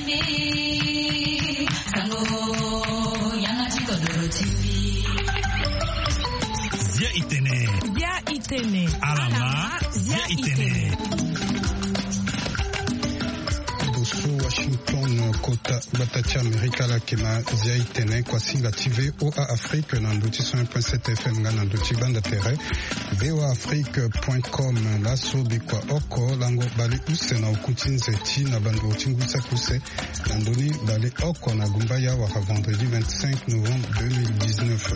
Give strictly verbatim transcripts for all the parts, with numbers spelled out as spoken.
Zia itene. Zia itene. Alama. Zia itene. Boso Washington, kota gbata ti Amerika, ala yeke na Zia itene, kuasinga ti V O A Afrique na ndo ti cent un point sept F M nga na ndo ti banda tere V O A Afrique point com. Laso bikua oko lango bale use na oku ti nze ti na banduru ti ngu saki use na ndoni bale oko na gumbaya wala vendredi vingt-cinq novembre deux mille dix-neuf.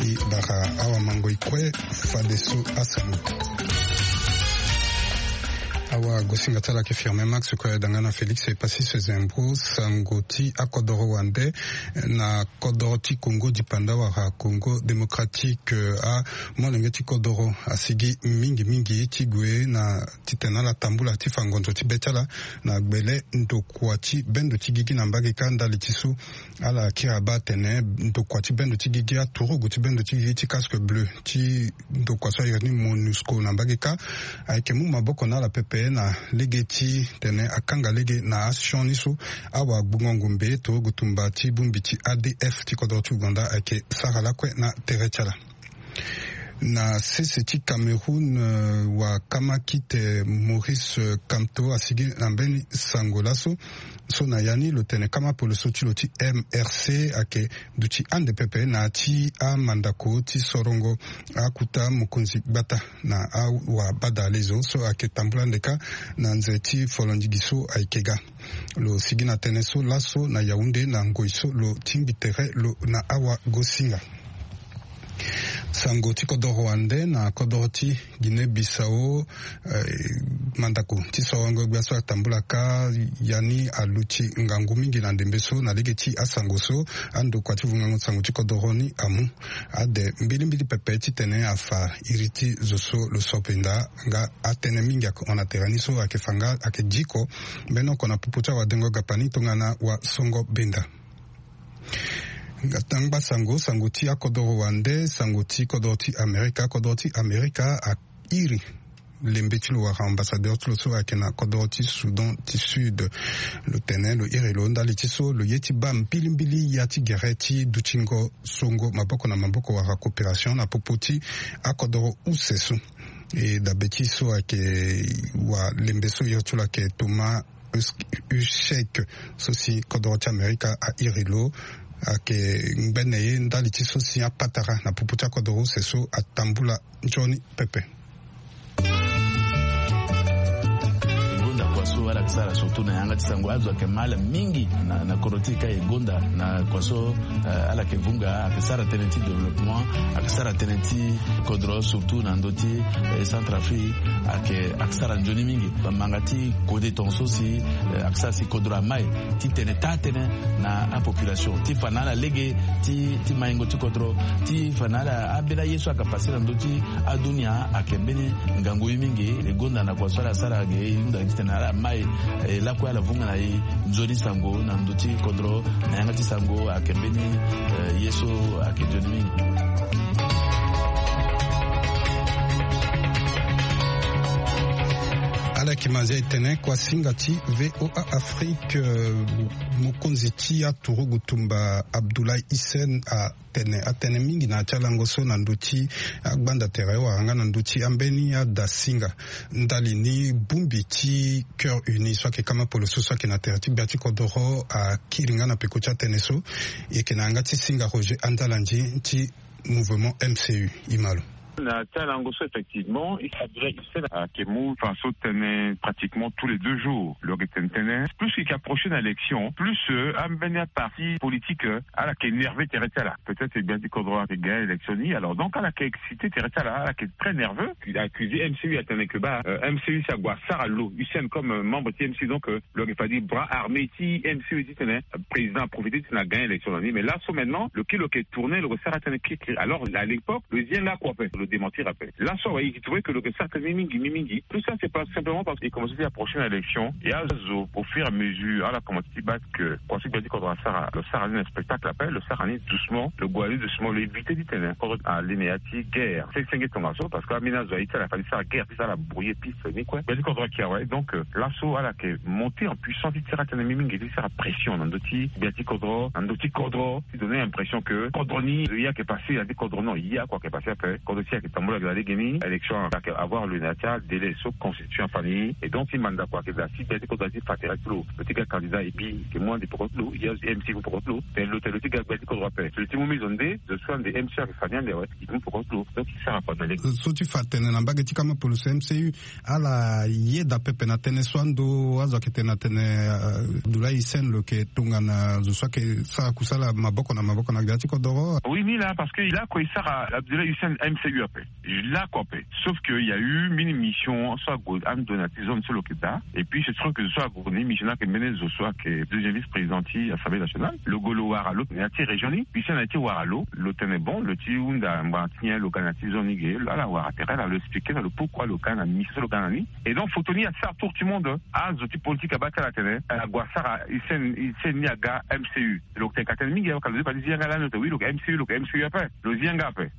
E bara awamango e kue fadeso asango. Awagosinga ti ala ayeke Firmin Max, kue ayeda nga na Félix Epasis Zembro. Sango ti akodoro wande na kodoro ti Congo dipanda wala Congo démocratique, amolenge ti kodoro asigi mingi mingi ti gue na titene ala tambula ti fa ngonzo ti be ti ala na gbele ndokua ti bendo ti gigi na mbage kâ. Ndali ti so ala kiri abaa atene ndokua ti bendo ti gigi, aturugu ti bendo ti gigi ti casque bleu ti ndokua so a iri ni MONUSCO na mbage kâ, ayeke mu maboko na ala pepe na lege ti tene akanga lege na asioni so awagbungo-ngombe turugu tumba ti bongbi ti A D F ti kodro ti Ouganda ayeke sara lakue na tere ti ala. Na sese ti Cameroun, eh, wakama kite Maurice, eh, Kamto asigi na mbeni sango laso. So na ya ni lo tene kama poloso ti lo ti M R C ayeke duti ande pepe na ya ti amandako ti sorongo akuta mokonzi gbata na awabadalezo so ayeke tambula ande kâ na nze ti folondigi so ayeke ga. Lo sigi na tënë so laso na Yaoundé na ngoi so lo tingbi tere lo na awagosinga. Sango ti kodoro wande na kodoro ti Guinée Bissau, eh, mandako ti sorongo gbia so atambula kâ, ya ni aluti ngangu mingi na ndembe so na lege ti asango so andokua ti vungango sango ti kodoro ni amu. Ade mbilimbili pepe titene afa iri ti zo so lo sopenda nga atënë mingi ayeke hon na tere ni so ayeke fa nga ayeke diko mbeni oko na popo ti awadengo gapa ni tongana wasongo benda. Nga tangba sango, sango ti akodoro wande, sango ti kodoro ti Amerika, kodoro ti Amerika airi lembe ti lo wala ambassadeur ti lo so ayeke na kodoro ti Soudan ti Sud. Lo tene lo iri lo ndali ti so lo ye ti baa mbilimbili ya ti gere ti dutingo songo maboko na maboko wala coopération na popo ti akodoro use so. E dabe ti so ayeke walembe so iri ti lo ayeke Thomas Hushek, so si kodoro ti Amerika airi lo, ayeke ngbene ye ndali ti so si apatara na popo ti akodoro use so atambula nzoni pepe. E gonda kua so ala yeke sara surtout na yanga ti sango, azo ayeke ma ala mingi na, na kodro ti e ka e gonda na kua so, eh, ala yeke vunga, ayeke sara tënë ti développement, ayeke sara tënë ti kodro surtout na ndö ti, eh, Centrafrique, ayeke, ayeke sara nzoni mingi. Bamanga ti kode tongaso si, eh, ayeke sara si kodro amai ti tene taa tënë na apopulation ti fa na ala lege ti, ti maingo ti kodro, ti fa na ala ambeni aye so ayeke pase na ndö ti adunia ayeke mbeni ngangu ye mingi. E gonda na kua so ala sara ge e hunda titene ala mai, eh, lakue ala vunga na e nzoni sango na ndö ti kodro na yanga ti sango ayeke mbeni, eh, ye so ayeke nzoni mingi. Ala yeke ma nzia e tene kuasinga ti V O A Afrique, eh, mokonzi ti aturugu tumba Abdoulaye Hissène atene atënë mingi na ya ti alango so na ndö ti agbanda tere wala nga na ndö ti ambeni adasinga. Ndali ni bongbi ti Cœur Uni so ayeke kama poloso so ayeke na tere ti gbia ti kodoro akiri nga na peko ti atënë so. E yeke na yanga ti singa Roger Andalandi ti mouvement M C U. E ma lo. Na ti alango so, effectivement, Abdoulaye Hissène ayeke mu faso tënë pratiquement tous les deux jours. Lo yeke tene tënë, plus e yeke approcher na élection, plus, euh, ambeni aparti politique, euh, ala yeke énervé tere ti ala. Peut-être gbia ti kodro ayeke gagné élection ni. Alors donc ala yeke excité tere ti ala, ala yeke très nerveux. Il a accusé M C U, atene que, bah, euh, M C U si ague asara lo Hissène comme, euh, membre ti M C U, donc, euh, lo yeke fade bras armé ti M C U titene président aprofité titene agagné élection na ni. Mais laso maintenant lo kiri lo yeke tourné, lo yeke sara tënë kirikiri. Alors à l'époque lo zi en lakue ape. Démentir ape. Là so awe, il trouvait que lo ke sara tënë mingi mingi. Tout ça, c'est pas simplement parce qu'il commençait à approcher une élection. Et azo, au fur et à mesure, ala commencé ti baa que kua so gbia ti kodro asara, lo sara ni na spectacle ape, lo sara ni doucement, lo gue ni doucement, lo éviter ti tene kodro ale na ya ti guerre. Senge tongaso, parce que ambeni azo aye ti ala fade ti sara guerre, ti sara brouiller piste ni kue. Gbia ti kodro ayeke awe. Donc, euh, laso ala yeke monter en puissance ti tira tënë mingi mingi, ti sara pression na ndö ti gbia ti kodro, na ndö ti kodro, ti donner l'impression que kodro ni, euh, ye ayeke passé, ya ti kodro non, ye kua ayeke passé ape. Kodro ti ayeke tambula na lege ni, élection ayeke avoir lieu na ya ti adélai so constitution afa ni. Et donc ti mandat kua ayeke daa si gbia ti kodro ti fa tere ti lo, lo ti ga candidat et puis ayeke mu ande peko ti lo, ye M C U peko ti lo. Tene lo, tene lo ti ga gbia ti kodro ape, so lo ti mu mi zo nde, zo so ande M C U ayeke fa ni ande awe, e ke mu peko ti lo. Donc ti sara kua na lege. So ti fa tene na mbage ti kama poloso M C U, ala yeda pepe na tënë so ando azo ayeke tene na tene, euh, Abdoulaye Hissène lo yeke tongana zo so ayeke sara kusala maboko na maboko na gbia ti kodoro. Oui, ni laa, parce que il a kue e sara Abdoulaye Hissène M C U ape. Là kua ape. Sauf que il y a eu mbeni mission so ague ando na ya ti zone so lo yeke daa. Et puis c'est sûr que zo so ague ni mission ni ayeke mbeni zo so ayeke deuxième vice-président ti Assemblée nationale. Lo gue lo wara lo na ya ti région ni. Puis si na ya ti wara lo, lo tene bon, lo ti hunda ngbanga ti nyen lo ga na ya ti zone ni ge, ala wara tere, ala lo expliquer na lo pourquoi lo ga na mission so lo ga na ni. Et donc photo ni asara tour ti monde. Azo ti politique abaa ti ala atene, eh, ague asara Hissène, Hissène ni aga M C U. Lo yeke tene ka tene mingi awe, ka lo zi fade zi yanga lani, lo tene oui, lo yeke M C U, lo yeke M C U ape. Lo zi yanga ape.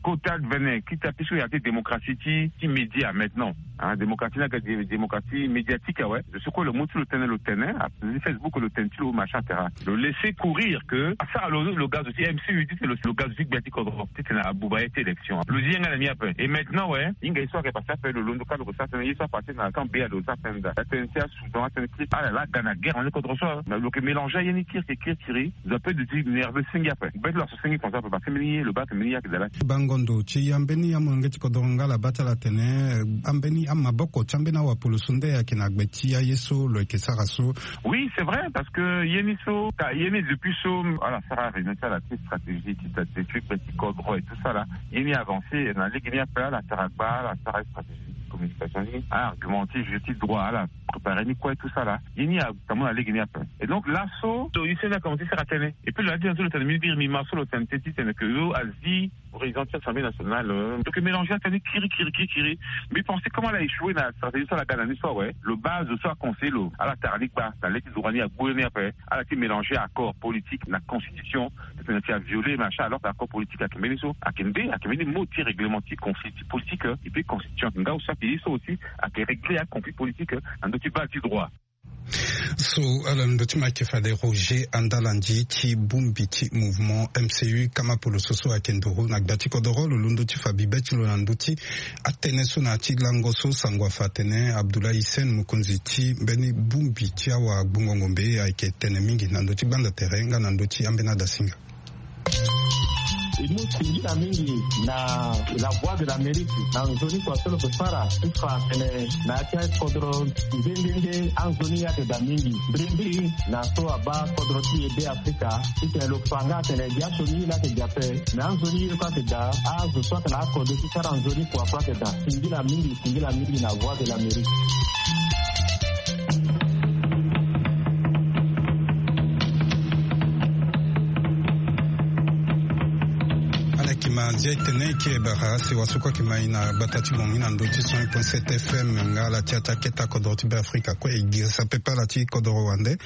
Kota vene, ti ta piso ya ti démocratie ti, ti média maintenant. Hein, démocratie ni aga dé-, démocratie médiatique awe. Zo so kue lo mu ti lo tene, lo tene, a, Facebook lo tene ti lo, machin, et cetera. Lo laisser courir que asara lo, lo ga zo ti M C U, ti tene lo, lo ga zo ti gbia ti kodro, ti tene abuba ye ti élection. Lo zi yanga na ni ape. Et maintenant, ouais, hinga ye so ayeke passé ape, lo londo ka lo ke sara tënë, ye so apasé na camp B A lo sara tënë daa. Atënë ti asoudan, atënë ti ala laa aga na guerre na ni kodro so. Lo ke mélanger aye ni kiri kiri kiri. Zo ape duti nerveux senge ape. Be ti lo aso senge konso ape, parce que mbeni ye lo baa atene mbeni ye ayeke daa laa. Bango ndo ti ambeni amolenge ti kodoro nga ala baa ti ala atene, eh, ambeni amaboko ti ambeni awapolo so nde ayeke na gbe ti aye so lo yeke sara so. Oui, c'est vrai, parce que ye ni so, ka, ye ni depuis so, ala sara réunion ti ala ti stratégie ti ta, ti gbe ti kodro et tout ça là. Ye ni avancé na lege ni ape, ala sara gba, ala sara stratégie ti communication ni, ala argumenter jeu ti droit, ala préparer ni kue tout ça là. Ye ni atambula na lege ni ape. Et donc laso, so Hissène a commencé sara tënë. Et puis lo na ti tënë so lo tene, mi biri mi ma so lo tene tënë ti tene que lo azi président ti Assemblée nationale, euh, lo ke mélanger atënë kiri kiri kiri kiri. Mbi pensé comment ala échoué na stratégie so ala ga na ni so awe. Lo baa zo so aconseiller lo, ala tara ni gba na le ti droit ni, agbu ni ape. Ala ti mélanger accord politique na constitution. Ti tene ti avioler machin, alors que accord politique ayeke mbeni so, ayeke nde, ayeke mbeni mot ti règlement ti conflit ti politique, euh, et puis constitution ayeke nga aussi, ayeke ye so aussi ayeke régler aconflit politique, euh, na ndö ti baa ti droit. So ala londo ti ma ayeke fade Roger Andalandi ti bongbi ti mouvement M C U kama poloso so ayeke nduru na gbia ti kodoro, lo londo ti fa bibe ti lo na ndö ti atënë so na ya ti lango so sango afa atene Abdoulaye Hissène, mokonzi ti mbeni bongbi ti awagbongo ngombe, ayeke tene mingi na ndö ti gbanda tere nga na ndö ti ambeni adasinga. E mu singila mingi na La Voix de l'Amérique na nzoni kua so lo ke sara ti fa atene na ya ti akodro nde nde nde anzoni ye ayeke daa mingi. Mbrimbri na so abaa kodro ti e Be Afrika ti tene lo fa nga atene biaso ni ye laa ayeke daa ape, me anzoni ye kue ayeke daa. Azo so ayeke na akode ti sara nzoni kua kue ayeke daa. Singila mingi, singila mingi na Voix de l'Amérique. Ala yeke ma ndia etene eke bara sewa so kue ayeke ma e na gbata ti bongi na ndö ti cent un point sept F M nga ala ti ataa keta kodro ti Be Afrika kue. E girisa pepe ala ti kodro wande.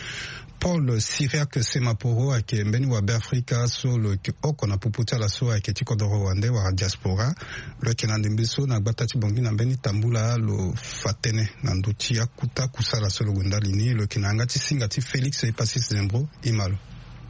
Paul Cyriaque Semaporo ayeke mbeni wa Be Afrika so lo yeke oko na popo ti ala so ayeke ti kodro wande wala diaspora. Lo yeke na ndembe so na gbata ti bongi na mbeni tambula lo fa tënë na ndö ti akuta kusala so lo gue ndali ni. Lo yeke na yanga ti singa ti Félix Epacis Zembro. E ma lo.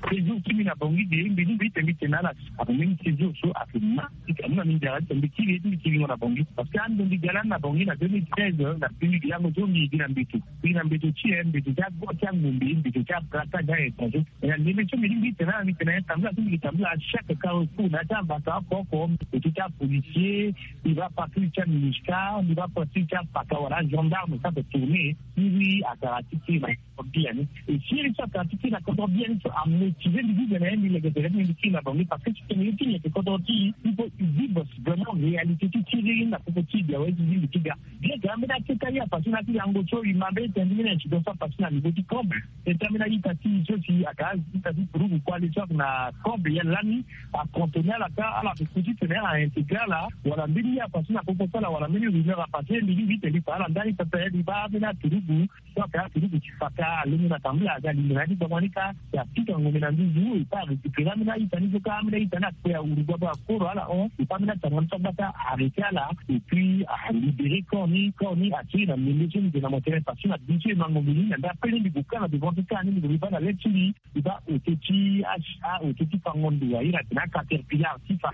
Séjour ti mbi na Bangui de, mbi ni mbi ite mbi tene na ala, ake mbeni séjour so ake ma, ake amu na mbi nzara ti tene mbi kiri ye ti mbi kiringo na Bangui. Parce que ando mbi ga lani na Bangui na deux mille treize, na deux mille, lango so mbi gi na mbeto. Mbi na mbeto ti e, mbeto ti ago ti angombe, mbeto ti abraka ti a-étranger. Na ndembe so mbi ni mbi tene na ala, mbi tene na ye tambula so mbi ke tambula à chaque carrefour, na ya ti ambata oko oko, mbeto ti apolicier, mbi baa partout ti aMINUSCA, mbi baa partout ti apaka wala agendarme so ake tourner, mbi atara ti kiri na kodro biani. E si ye ni so atara ti kiri na kodro biani so amu Ti zia mbi vive na ye mbi leke tere ti mbi kiri na bango parce que ti tene ye ti leke kodoro ti i faut i vive vraiment réalité ti tiri na popo ti i bia wa ye ti zia mbi ti ga. Bien que ambeni aketa ye apasi na ti yango so i ma mbeni tene ti mbeni incident so apasi na niveau ti Kombe. Tete ambeni a-ita ti i so si aka a-ita ti turugu kue ale so ake na Kombe ya lani acontonne ala ka ala ke ku ti tene ala intégré ala wala mbeni ye apasi na popo ti ala wala mbeni rumeur apasi mbi ni mbi tene mbi fa ala ndani pepe mbi baa ambeni aturugu. So aka aturugu ti fa ka alongo na tambula aga lingana ti gbagba ni ka. Ya pika ngombe na nduzu e pa arécupéré ambeni a-ita ni so ka ambeni a-ita ni akpe ahuru gbagba akoro ala hon e pa ambeni atanga ni so agbata arrêté ala. Et puis alibéré corps ni corps ni atiri na ndembe so mbi gue na mo tene parce que na biso e ma ngombe ni na nda pele mbi gue ka na devant ti ka ni mbi gue mbi baa na le ti mbi. Mbi baa oto ti acha oto ti fango ndo airi atene acaterpillar ti fa.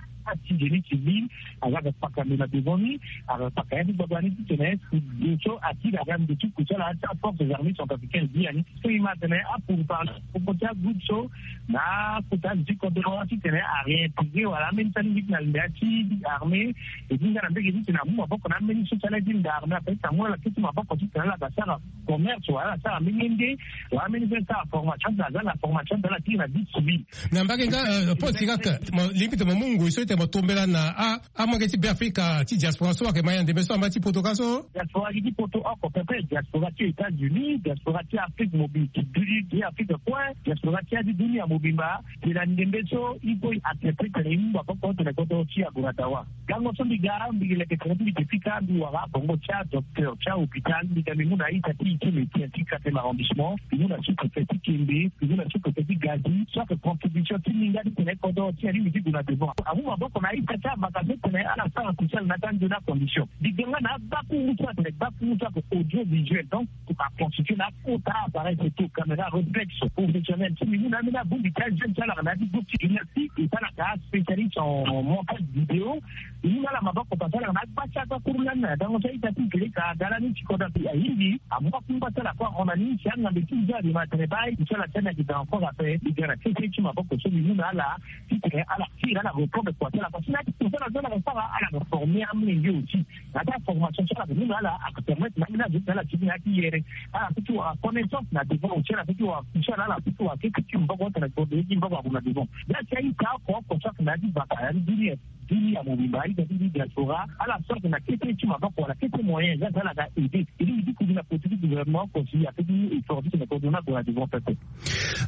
Ti génie civil aga ga kpaka ndo na devant ni. Aga kpaka ya ti gbagba ni ti tene ndo so atiri aga ndo ti ku ti ala ti aforces armées centrafricaines gi ya ni. So i ma tene apourparler popo ti agroupe so na akota zi ti kodoro ti tene aréintégré wala ambeni ti alingbi ti na lembe ya ti armée. E ti nga na mbege ti tene amu maboko na ambeni so ti ala ye ti nda armée ape ti amu ala keti maboko ti tene ala ga sara commerce wala ala sara ambeni ye nde wala ambeni so ala sara formation ti tene aza na formation ti tene ala kiri na vie civile. Na mbage nga, eh, Paul Sirak, mo lingbi ti mo mu ngoi so ti tene mo tombela na a amolenge ti Beafrika ti diaspora so ayeke ma ya ndembe so amba ti poto ka so. Diaspora gi ti poto oko pepe, diaspora ti États-Unis, diaspora ti Afrique mobimba, ti dunia ti Afrique kue, diaspora ti ya ti dunia mobimba. Tena ndembe so i kue i accepte tena i mu maboko tena kodoro ti agola dawa. Gango so mbi ga mbi leke tena ti mbi te fika mbi wara bongo ti adocteur ti ahôpital mbi ga mbi mu na a-ita ti i ti médecin ti quatrième arrondissement, mbi mu na sous-préfet ti Kembe, mbi mu na sous-préfet ti Gazi so ayeke contribution ti mbi nga ti tene kodoro ti alingbi ti gue na devant. Amu maboko na a-ita ti avaka so tene ala sara kusa na ata nzoni acondition. Mbi ga nga na agbakuru so atene gbakuru so ayeke audiovisuel donc aconstitue na akota appareil photo, caméra réflexe professionnel ti mbi mu na ambeni abongbi ti ajeune ti ala na ya ti groupe ti gymnastique e ti ala ka spécialiste en montage vidéo. Mbi mu na ala maboko parce que ala na agba ti agbakuru lani na gango so a-ita ti gereka aga lani ti kodro ahingi amu akungba ti ala kue ahon na ni si angambe ti nzoni ma tene baa aye ti ala ti ani ayeke dans encore ape. Mbi ga na kete ti maboko so mbi mu na ala ti tene ala kiri ala reprendre kua ti ala parce que na ya ti kua ti ala so ala ga sara ala ga former amolenge aussi. Na ya ti aformation so ala ga mu na ala aka permettre na ambeni azo ti tene ala tiki na ya ti yere ala peut ti wara connaissance na devant aussi ala peut ti wara pousse ala ala peut ti wara kete ti maboko ti tene kode ye ti maboko ague na devant. Ndia ti a-ita oko oko so ayeke na ya ti vaka ya ti dunia dunia mobimba a-ita ti diaspora ala so ayeke na kete ti maboko wala kete moyen ndia ti ala ga aider. E lingbi ti kuzu na koti ti gouvernement oko si ape ti effort ti tene kode ni ague na devant pepe.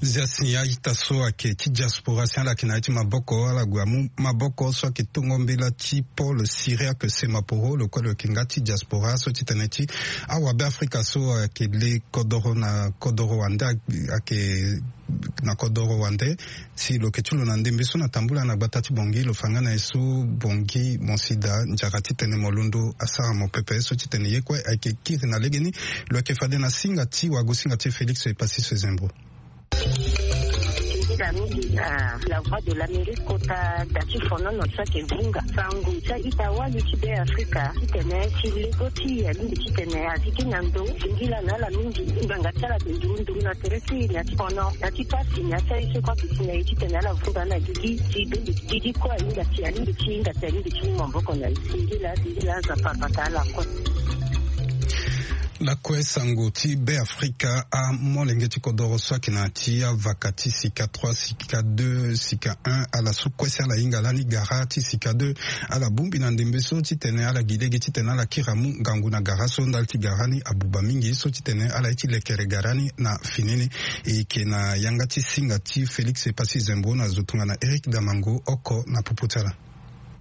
Zia si a-ita so ayeke ti diaspora si ala yeke na ya ti maboko ala gue amu maboko so ayeke tongo mbela ti Paul Cyriaque Semaporo lo kue lo yeke nga ti diaspora so ti tene ti awabe Afrika so ayeke le kodoro na kodoro wande ayeke na kodoro wande. Si lo yeke ti lo na ndembe so na tambula na gbata ti Bangui lo fa nga na ye so Bangui mo si daa nzara ti tene mo londo asara mo pepe so ti tene ye kue ayeke kiri na legeni. Lo yeke fade na singa ti wagosinga ti Félix Epassi Sezembro. Ndinga mingi na La Voix de l'Amérique kota da ti fonono so ayeke vunga sango ti a-ita wali ti Be Afrika titene ti lego ti e alingbi titene azi gi na ndo. Singila na ala mingi ngbanga ti ala ayeke nduru nduru na tere ti e na ya ti fono na ya ti pasi na ya ti aye so kue ayeke si na e titene ala vunga na gigi ti be gigi kue ahinga si alingbi ti hinga si alingbi ti mu maboko na e. Singila singila Nzapa abata ala kue. Lakue sango ti Be Afrika amolenge ti kodoro so ayeke na ya ti avaka ti sika trois sika deux sika un ala so kue si ala hinga lani gara ti sika deux. Ala bongbi na ndembe so titene ala gi lege titene ala kiri amu ngangu na gara so ndali ti gara ni abuba mingi so titene ala ye ti lekere gara ni na fini ni. E yeke na yanga ti singa ti Félix Epassi Zembo na zo tongana Éric Damango oko na popo ti ala.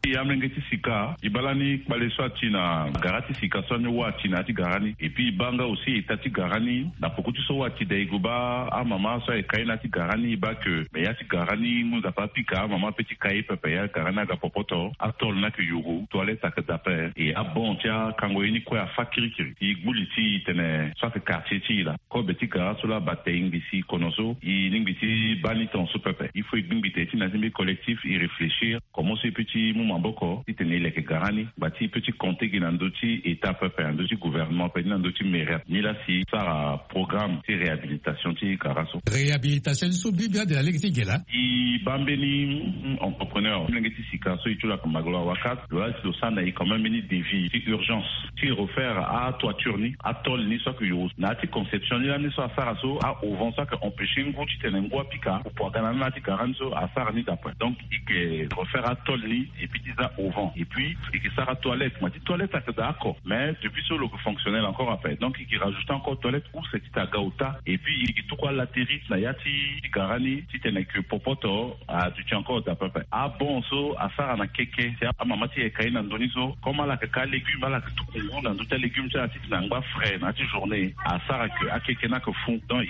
E amolenge ti sika e baa lani kpale so ati na gara ti sika so ani wa ati na ya ti gara ni. Et puis e baa nga aussi eta ti gara ni na poko ti so wa ati da e gue baa amama so ayeke kai na ya ti gara ni e baa ke me ya ti gara ni mu Nzapa apika amama ape ti kai pepe ya gara ni aga popoto atole ni ayeke yuru toilette ayeke da ape. E abon ti akango ye ni kue afa kirikiri. E gbu li ti e tene so ayeke quartier ti e laa. Kobe ti gara so laa bate e ngbi si kono so e lingbi ti baa ni tongaso pepe. Il faut e gbingbi tene ti na ya ti mbi collectif e réfléchir comment so e peut ti mu maboko titene e leke gara ni ngba ti e pe ti compter gi na ndö ti état pepe na ndö ti gouvernement pe ni na ndö ti mairie ni laa si sara programme ti réhabilitation ti gara so. Réhabilitation ni so bibi ande na lege ti ge laa. E baa mbeni entrepreneur molenge ti sika so e ti lo ayeke magolo awakat lo laa si lo sara na e quand même mbeni devis ti urgence ti refaire atoiture ni, atôle ni so ayeke yo na ya ti conception ni lani so asara so a-auvent so ayeke empêcher ngu titene ngu apika pupu aga na ni na ya ti gara ni so asara ni d'après. Donc e yeke refaire atôle ni et puis ti za auvent et puis e yeke sara toilette ma ti toilette ayeke daa oko mais depuis so lo yeke fonctionnel encore ape donc e yeke rajouter encore toilette ou c'est ti aga ota et puis e yeke tuku alatéris na ya ti gara ni titene ke popoto aduti encore daa pepe. Abon so asara na keke si amama ti yeke ka ye na ndö ni so comme ala yeke ka légume ala yeke tuku ngu na ndö ti alégume ti ala titene angba frais na ya ti journée asara ke akeke ni ayeke fou donc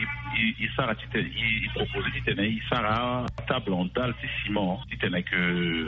e sara titene e propose titene e sara atable en dalle ti ciment titene ke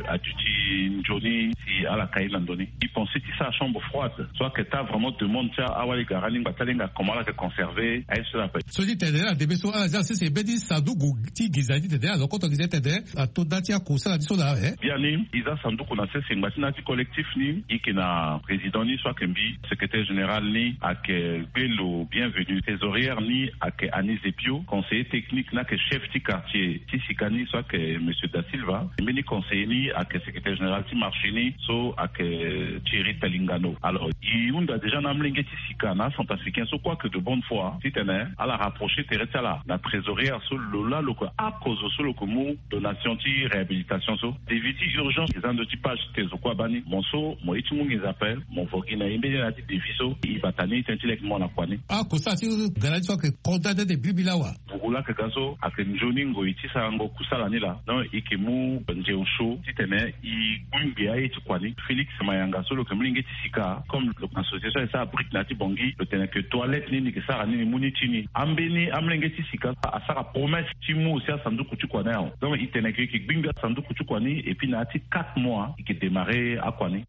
aduti nzoni si ala ka ye na ndö ni. E pense ti sara chambre froide so ayeke taa vraiment demande ti awali gara ni ngba ti alenga comment ala yeke conserver aye so ala pe. So ti tene na ndembe so ala zia sese mbeni sanduku ti nginza ti tene ala zo koto nginza ti tene ato nda ti akusala ti so laa e. Biani e za sanduku na sese ngba ti na ya ti collectif ni e yeke na président ni so ayeke mbi secrétaire général ni ayeke gbe lo bienvenu trésorière ni ayeke anise epio conseiller technique ni ayeke chef ti quartier ti sika ni so ayeke monsieur da silva mbeni conseiller ni ayeke secrétaire général ti marché ni so ayeke thierry talingano alors e hunda déjà na amolenge ti sika na acentrafricain so kue ayeke de bonne foi titene ala rapprocher tere ti ala na trésorière so lo laa lo yeke akozo so lo yeke mu donation ti réhabilitation so devis ti urgence eza ndö ti page ti te zo kue abaa ni mo so mo ye ti mu nginza ape mo vo gi na e mbeni na ya ti devis so e bata ni tënë ti leke mo na kua ni. Akusala ti gara ni so ayeke konda nde nde biribi laa wa. Bugu laa ayeke ga so ayeke nzoni ngoi ti sarango kusala ni laa donc e yeke mu nze osio titene e gbu ngbi aye ti kua ni. Félix mayanga so lo yeke molenge ti sika comme lo yeke na association e sara brique na ya ti bongi lo tene ke toilette ni ni yeke sara ni ni mu ni ti ni ambeni amolenge ti sika asara promesse ti mu aussi asanduku ti kua ni awe donc e tene ke e yeke gbi ngbi asanduku ti kua ni et puis na ya ti quatre mois e yeke démarrer akua ni.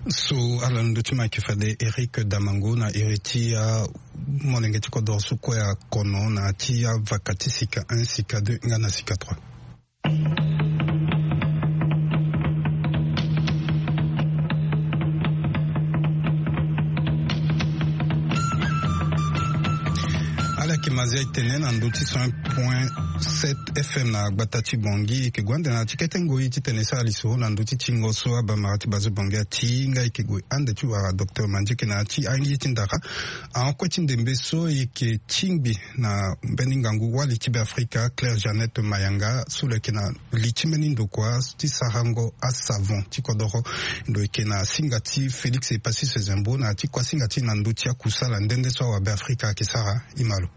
So ala na ndö ti ma yeke fade Eric Damango na iri ti amolenge ti kodoro so kue akono na ya ti avaka ti sika un sika deux nga na sika trois. Ala yeke mazia e tene na ndö ti cent point sept F M na gbata ti Bangui e yeke gue ande na ya ti kete ngoi titene e sara lisoro na ndö ti tingo so abamara ti bazo Bangui atinga e yeke gue ande ti wara docteur Mandieke na ya ti aye ti ndara. Ahon kue ti ndembe so e yeke tingbi na mbeni ngangu wali ti Beafrika Claire Jeannette Mayanga so lo yeke na li ti mbeni ndokua ti sarango asavon ti kodoro. Lo yeke na singa ti Félix Epassis Zembo na ya ti kuasinga ti e na ndö ti akusala nde nde so awabeafrika ayeke sara. E ma lo.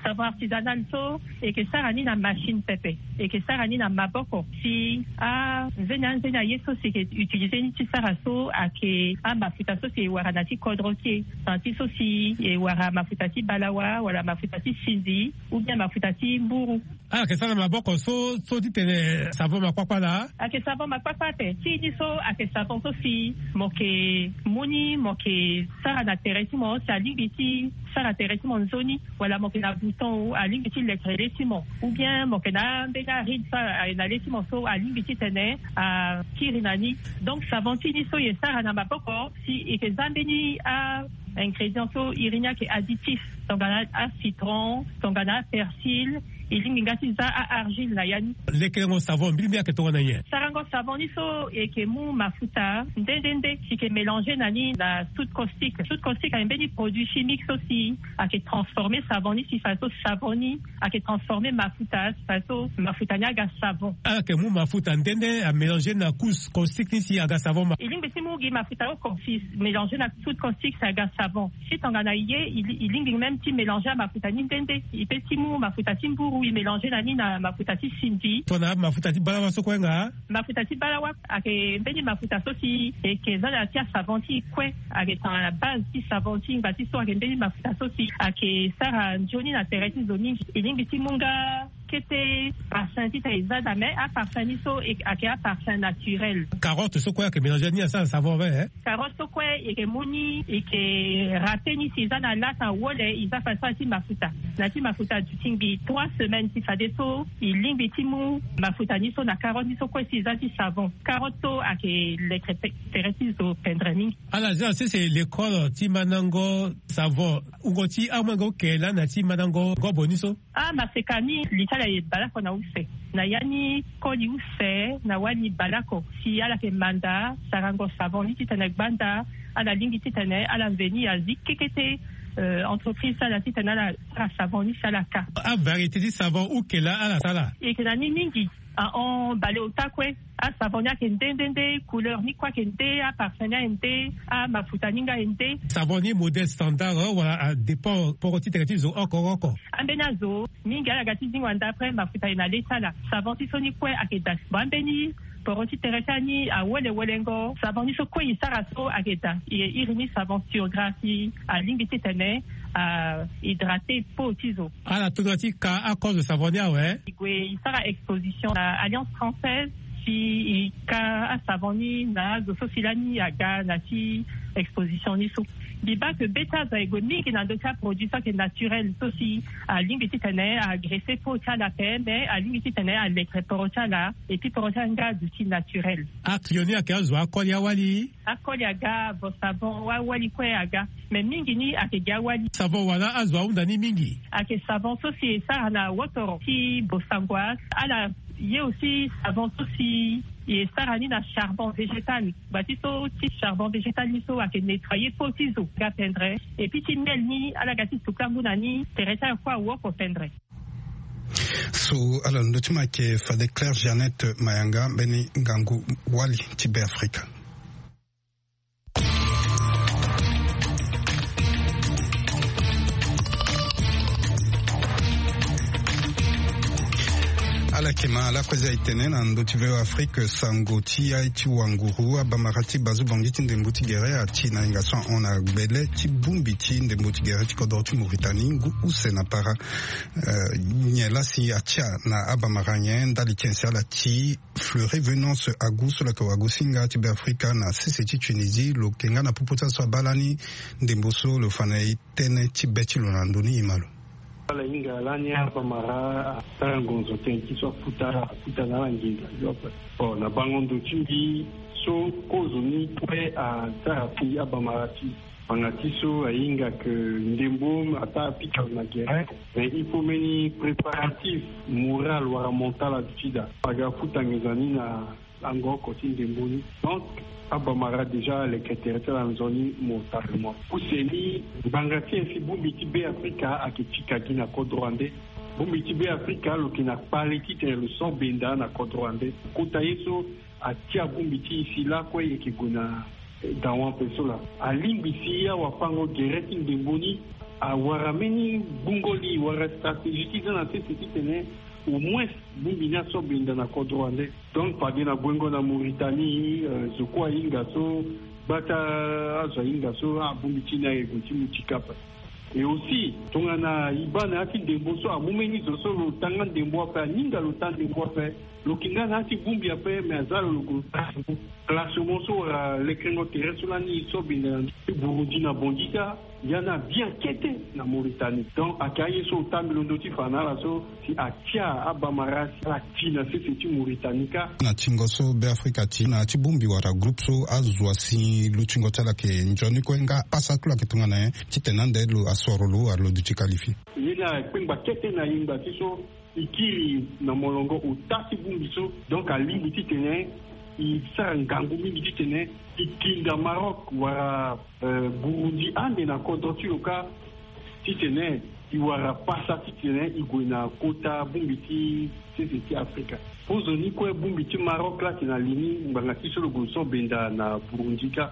Savon artisanal so e yeke sara ni na machine pepe, e yeke sara ni na maboko. Si anzeni anzeni aye so si e yeke utiliser ni ti sara so ayeke amafuta so si e wara na ti kodro ti e, na ti so si e wara mafuta ti balawa wala mafuta ti sinzi ou bien mafuta ti mburu. Ala yeke sara na maboko so so titene savon makpakpa laa. Ayeke savon makpakpa ape. Ti ni so ayeke savon so si mo yeke mu ni mo yeke sara na tere ti mo si alingbi ti sara tere ti mo nzoni, wala mo yeke na bouton o alingbi ti leke le ti mo, ou bien mo yeke na ambeni aride so aye na le ti mo so alingbi titene akiri na ni. Donc savon ti ni so e sara na maboko si e yeke za mbeni a ingrédients so iri ni ayeke additifs, tongana acitron, tongana apersil. E lingbi nga ti za a argile na ya ni. Lekerengo savon mbirimbiri ayeke tongana nyen? Sarango savon ni so e yeke mu mafuta nde nde nde si e yeke mélanger na ni na soude caustique. Soude caustique ayeke mbeni produit chimique so si ayeke transformer savon ni si fadeso savon ni ayeke transformer mafuta si fadeso mafuta ni aga savon. Ala yeke mu mafuta nde nde amélanger na couche caustique ni si aga savon ma. E lingbi ti mu gi mafuta oko si mélanger na soude caustique si aga savon. Si tongana e ye e lingbi même ti mélanger amafuta ni nde nde. E pe ti mu mafuta ti mburu e mélanger na ni na mafuta ti sinzi. Tongana mafuta ti balawa so kue nga? Mafuta ti balawa ayeke mbeni mafuta so si e yeke za na ya ti asavon ti e kue. Ayeke tongana base ti savon ti e ngba ti so ayeke mbeni mafuta so si ayeke sara nzoni na tere ti zo mingi. E lingbi ti mu nga Kete parfum ti tene e za daa, mais aparfum ni so e- ayeke aparfum naturel. Carotte so kue ayeke mélange ni asara savon ve, eh? Carotte so kue e yeke mu ni, e yeke râper ni si e za na lasa wole, e za fa so na ti mafuta. Na ti mafuta aduti ngbii trois semaines si fadeso e lingbi ti mu mafuta ni so na carotte ni so kue si e za ti savon. Carotte so ayeke lekere pe- tere ti zo pendere mingi. Ala zia sese lekole ti mandango savon, wungo ti amolenge oke lani na ti mandango gobo ni so? Ah, maseka ni li ti ala e baleoko na use. Na ya ni koli use na wali baleoko si ala yeke manda sarango savon ni titene gbanda ala lingbi titene ala veni azi kekete, euh, entreprise ti ala titene ala sara savon ni si ala ka. Avariété ti savon oke laa ala sara? E yeke na ni mingi. Ahon, baleota kue. Asavon ni ayeke nde nde nde, couleur ni kue ayeke nde, aparfum ni ayeke nde, amafuta ni nga ayeke nde. Savon ni modèle standard, eh, wala adépend poro ti tere ti zo oko oko? Ambeni azo mingi ala ga ti zingo anda, après mafuta ayeke na le ti ala. Savon ti so ni kue ayeke daa. Bon, ambeni poro ti tere ti ala ni awolewolengo. Savon ni so kue e sara so ayeke daa. E iri ni savon Turgraphie, alingbi titene ahydrate peau ti zo. Ala tondua ti ka akozo savon ni awe? E gue e sara exposition na Alliance Française, si e ka asavon ni na azo so si lani aga na ti exposition ni so. Mbi baa ke be ti azo aye gue mingi na ndö ti aproduit so ayeke naturel so si alingbi titene agresse peau ti ala ape, me alingbi titene alekere poro ti ala, et puis poro ti ala nga aduti naturel. Aclio ni ayeke azo akoli awali? Akoli aga, Bosavon, awali kue aga. Mais mingi ni ayeke gi awali. Savon wala azo ahunda ni mingi? Ayeke savon so si e sara na wotoro ti Bossangoise. Ala ye aussi savon so si e sara ni na charbon végétal. Gba ti so ti charbon végétal ni so ayeke nettoyer peau ti zo nga pendere. Et puis ti miel ni ala ga ti suka ngu na ni, tere ti ala kue awoko pendere. So ala na ndö ti mo ayeke fade Claire Jeannette Mayanga, mbeni ngangu wali ti Beafrika. Ala yeke ma lakue za e tene na ndö ti V O A Afrique, sango ti ya ti wanguru, abamara ti Bazobangi ti ndembo ti gere ati na hinga so ahon na gbele ti bongbi ti ndembo ti gere ti kodro ti Mauritanie ngu use na para. Eh, nyen laa si atia na abamara nyen? Ndali ti nyen si ala ti Fleury Venance Agu so lo yeke wagosinga ti Beafrika na sese ti Tunisie, lo yeke nga na popo ti aso abaa lani ndembo so lo fa na e tënë ti be ti lo na ndo ni, e ma lo. Ala hinga lani abamara asara ngonzo tënë ti so akuta, akuta na ala nginza yo ape. Bon, na bango ndo ti mbi so kozo ni kue asara ti abamara ti Ngbanga ti so ahinga ke ndembo ataa apika lo na gere, mais il faut mbeni préparatif moral wala mental aduti daa. Aga futa nginza ni na lango oko ti ndembo ni. Donc abamara déjà aleke tere ti ala nzoni mo tara mo. Use ni ngbanga ti e si bongbi ti Beafrika ayeke pika gi na kodro ande. Bongbi ti Beafrika lo yeke na kpale titene lo so benda na kodro ande. Kota ye so atia bongbi ti e si lakue e yeke gue na, eh, dawa ape so laa. Alingbi si awafango gere ti ndembo ni awara mbeni gbungo li wala stratégie ti za na sese titene au moins bongbi ni aso benda na kodro ande. Donc fade na gwengo na Mauritanie, eh, zo kue ahinga so, gbata azo ahinga so, ah, bongbi ti ni aye gue ti mu ti kapa. Et aussi tongana e baa na ya ti ndembo so amu mbeni zo so lo ta nga ndembo ape, aninga lo ta ndembo ape, lo yeke nga na ya ti bongbi ape, mais aza lo lo gue lo ta ndembo. Classement so wala lekerengo tere so lani e so benda na ndö ti Burundi na Bangui ka, ya ni abia kete na Mauritanie. Donc ayeke aye so lo ta mbi londo ti fa na ala so si atia abamara si ala ti na sese ti Mauritanie ka. Na tingo so Beafrika ti na ya ti bongbi wala groupe so azo asi lutingo ti ala ayeke nzoni kue nga apasa ti lo ayeke tongana nyen titene ande lo asoro lo wala lo duti qualifié. Ye ni akpengba kete na yengba ti so e kiri na molongo ota ti bongbi so. Donc alingbi titene e sara ngangu mingi titene e tinda Maroc wala, euh, Burundi ande na kodro ti lo ka, titene e wara pasa titene e gue na kota bongbi ti sese ti Afrika. Kozoni kue bongbi ti Maroc laa ayeke na li ni ngbanga ti so lo gue so benda na Burundi ka.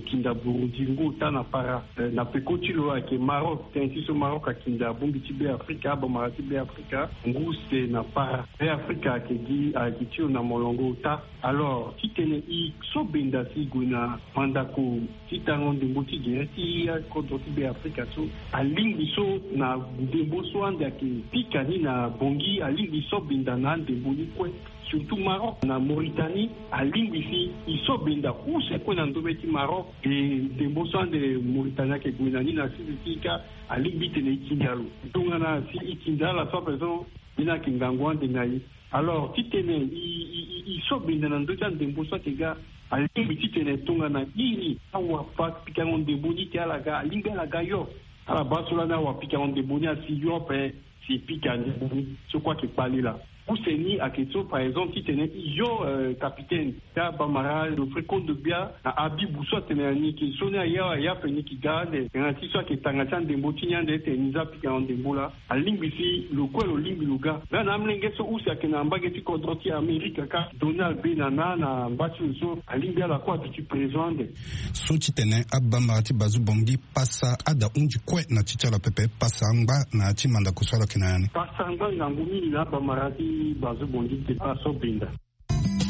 Kinda Burundi ngu ota na para. Eh, na peko ti lo ayeke Maroc, tënë ti so Maroc akinda abongbi ti Be Afrika, abamara ti Be Afrika ngu use na para. Be Afrika ayeke gi, ayeke ti lo na molongo ota. Alors titene e so benda si e gue na mandako ti tango ndembo ti gere ti akodro ti Be Afrika so, alingbi so na ndembo so ande ayeke pika ni na Bangui, alingbi so benda na andembo ni kue. Surtout Maroc na Mauritanie, alingbi si e so benda use kue na ndombe ti Maroc. E ndembo so ande Mauritanie ayeke gue na ni na sese ti e ka, alingbi titene e kinda lo. Tongana si e kinda ala so ape so, ni ayeke ngangu ande na e. Alors titene e, e, e, e so benda na ndö ti andembo so ayeke ga, alingbi titene tongana iri awapikango ndembo ni ti ala ga, alingbi ala ga yo. Ala baa so lani awapikango ndembo ni asi yo ape. Si e pika ndembo ni so kue ayeke kpale laa. Use ni ayeke so par exemple titene e yo, euh, capitaine ti abamara Geoffrey Kondogbia na Habibou so atene na ni ke so ni aye awe, aye ape ni ke ga ande tena ti so ayeke tanga ti andembo ti ni ande titene ni za pikango ndembo laa. Alingbi si lo kue lo lingbi lo ga. Nga na amolenge so use ayeke na mbage ti kodro ti Amerika ka, Donald Bey na na na mba ti lo so alingbi ala kue aduti présent ande. So titene abamara ti Bazoum Bangui pasa ada hunzi kue na ti ti ala pepe, pasa angba na ya ti mandako so ala yeke na ya ni. Pasa angba ngangu mingi na abamara ti Bazoum Bangui ti pasa so benda.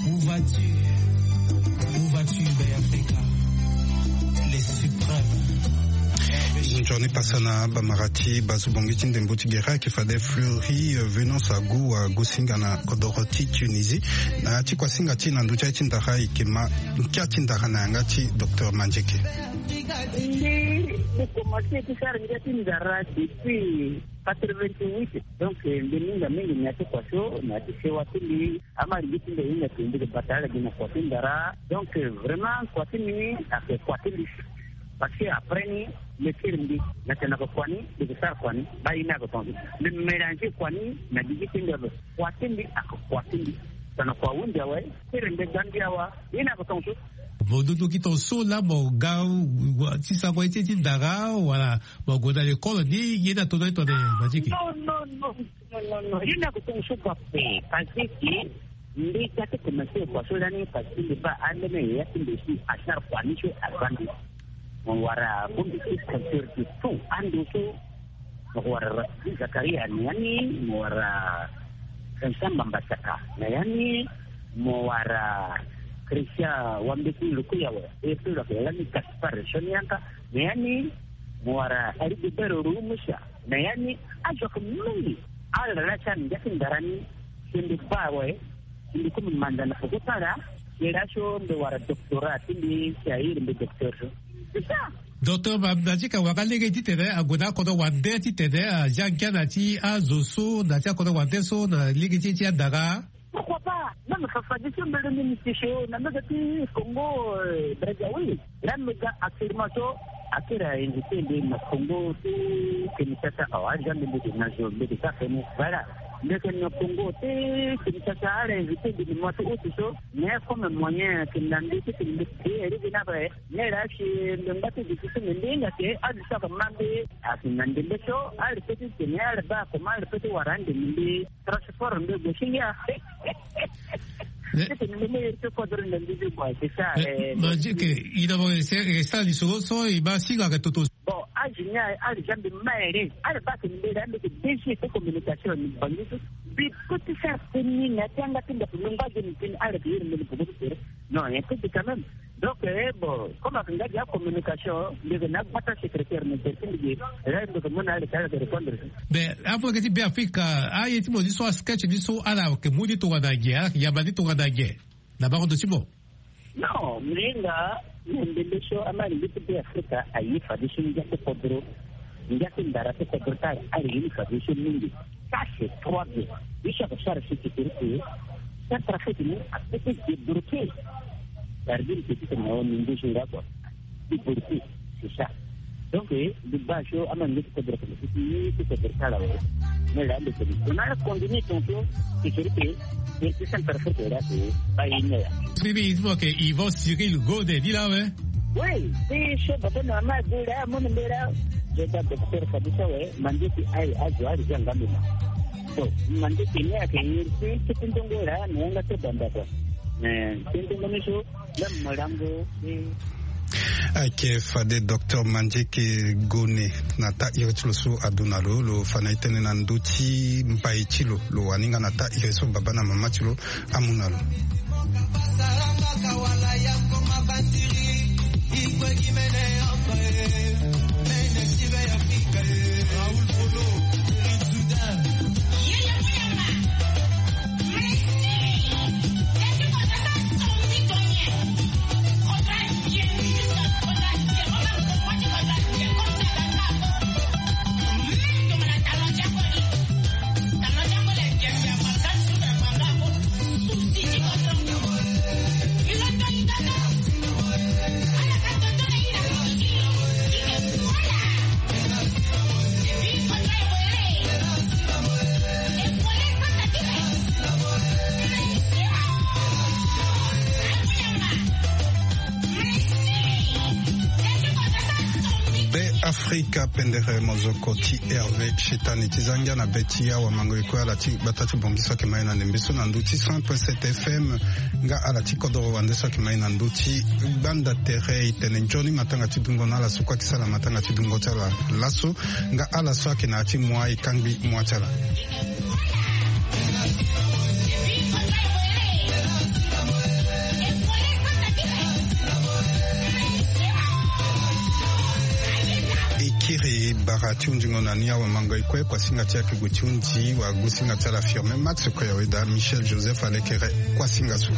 Où vas-tu? Où vas-tu, Bay Africa? Les suprêmes. Nzoni pasa na abamara ti Bazoum Bangui ti ndembo ti gere ayeke fade Fleury, euh, Venance Agou ague singa na kodoro ti Tunisie. Na ya ti kuasinga ti e na ndö ti aye ti ndara e yeke ma nkia ti ndara na yanga ti docteur Mandieke. Mbi, mbi komanse ti sara ngia ti ndara depuis quatre-vingt-huit. Donc, eh, mbi hinga mingi na ya ti kua so, na ya ti sewa ti mbi. Ama alingbi ti mbi hinga ti mbi bata ala gi na kua ti ndara. Donc, eh, vraiment, kua ti mbi ni ayeke kua ti mbi. Parce que après ni, mbi siri mbi na tene na kua ni, mbi yeke sara kua ni, baa ye ni ayeke tongaso. Mbi mélanger kua ni na gigi ti mbi ape. Kua ti mbi ayeke kua ti mbi. Tongana kua ahunzi awe, siri mbi ga mbi awa, ye ni ayeke tongaso. Mo dutu ki tongaso laa mo ga, wa, ti sango ye ti, ti ndara, wala mo gue na lekole ni, ye ni atono ye tongana Mandieke? Non, non, non, non, non, non. Ye ni ayeke tongaso kua ape, parce que mbi ga ti komanse kua so lani, parce que mbi baa ambeni yaya ti mbi si asara kua ni so aza mbi. Mo wara bongbi ti compteur de tout ando so. Mo wara Rafiki Zakaria na ya ni, mo wara Vincent Mambasaka na ya ni, mo wara Christian Wambeti Lukuyawa, e pe lo yeke lani Gaspard Sonianka na ya ni, mo wara Heribert Rumusa na ya ni. Azo ayeke mingi. Ala laa ti ala ngia ti ndara ni, si mbi baa awe, si mbi komi manda na peko ti ala, si laso mbi wara doctorat ti mbi, si airi mbi docteur so. C'est ça. Docteur Ma-, Mandieke awara lege titene ague na akodro wande titene azia ngia na ti azo so, na ti akodro wande so, na lege ti, ti andara. Pourquoi pas? Même Fafa Diso mbele ni mbi ti so na mbege ti Congo, euh, Brazzaville. Laa mbi ga actuellement so, akiri a invité mbi na Congo ti Kinshasa awa, aza mbi mbi na zo mbi ga feni. Voilà. Mbi yeke na Congo ti Kinshasa, ala invité mbi na mois ti août so. Mais comme moyen ayeke na mbi titene mbi créer iri gi ni ape, mais laa si mbi ngba ti duti so mbi hinga ke azo so ayeke ma mbi ayeke na ndembe so, ala peut ti tene ala baa comment ala peut ti wara ande mbi. Transport ndo gue si ngia. Eh. Titene mbi me iri ti kodro na mbi ti boy, c'est ça. Eh, eh, Mandieke, i na mo e sara lisoro so e ma singa ayeke toto. Bon, age ni aye, ala zia mbi ma ere. Ala baa tene mbi laa mbi yeke D G ti communication ni Bangui so. Mbi peut ti sara tënë ni na ya ti yanga ti mbi ape, mbi ngba gi mbi tënë, ala yeke iri mbi na peko ti tere. Non, un peu quand même. Donc, eh, bon, comme ayeke nga gi acommunication, mbi yeke na agbata secrétaire, mbi yeke ti mbi gi, eh, mbi yeke mu na ala, ala yeke répondre. Mais afolenge ti Be Afrika, aye ti mo ni so, asketch ni so, ala yeke mu ni tongana nyen, ala yeke yamba ni tongana nyen na bango ndo ti mo? Non, mbi hinga na ndembe so, ama alingbi ti Be Afrika aye fadeso ngia ti kodro, ngia ti ndara ti kodro ti ala, ala ye ni fadeso mingi. Ça, c'est trois bien. Ye so ayeke sara si ti tere ti Centrafrique ni apeut ti débloquer. Sardine ti titene na wani nduzu nga kua. Débloquer, c'est ça. Donc, eh, mbi baa so ama nge ti kodro ti, ti kodro ti ala awe. Mais là, mbi tene. On a continué ton tour. Ti tere ti, ti Centrafrique là, ti ba ye ni là. Bibi, il faut que Yvon Cyril Gode ni là, ouais. Oui, ti so baba na mama ague là, amu ni mbela. Je da docteur Fadusa, ouais. Mande ti aye azo, aye azo anga mbi ma. So, mande ti ni ayeke iri ti, ti ndongo laa, na yanga ti banda kua. Eh, ti ndongo ni so, la malango, eh. Ayeke fade docteur Mandieke Gone na taa iri ti lo so adu na lo, lo fa na e tënë na ndö ti mbai ti lo. Lo wani nga na taa iri so baba na mama ti lo amu na lo. Be Afrika pendere mozoko ti Hervé Chetani ti zangia na be ti awa mango e kue ala ti gbata ti bongi so ayeke mai na ndembe so na ndö ti cent point sept F M. Nga ala ti kodoro wande so ayeke mai na ndö ti gbanda tere. E tene nzoni matanga ti dungo na ala so kue ayeke sara matanga ti dungo ti ala laso. Nga ala so ayeke na ya ti mua e kangbi mua ti ala. E kiri bara ti hundingo na ni awamango e kue. Kuasinga ti ayeke gue ti hundi wa gusinga ti ala firme max koyaweda michel joseph alekere. Kuasinga so.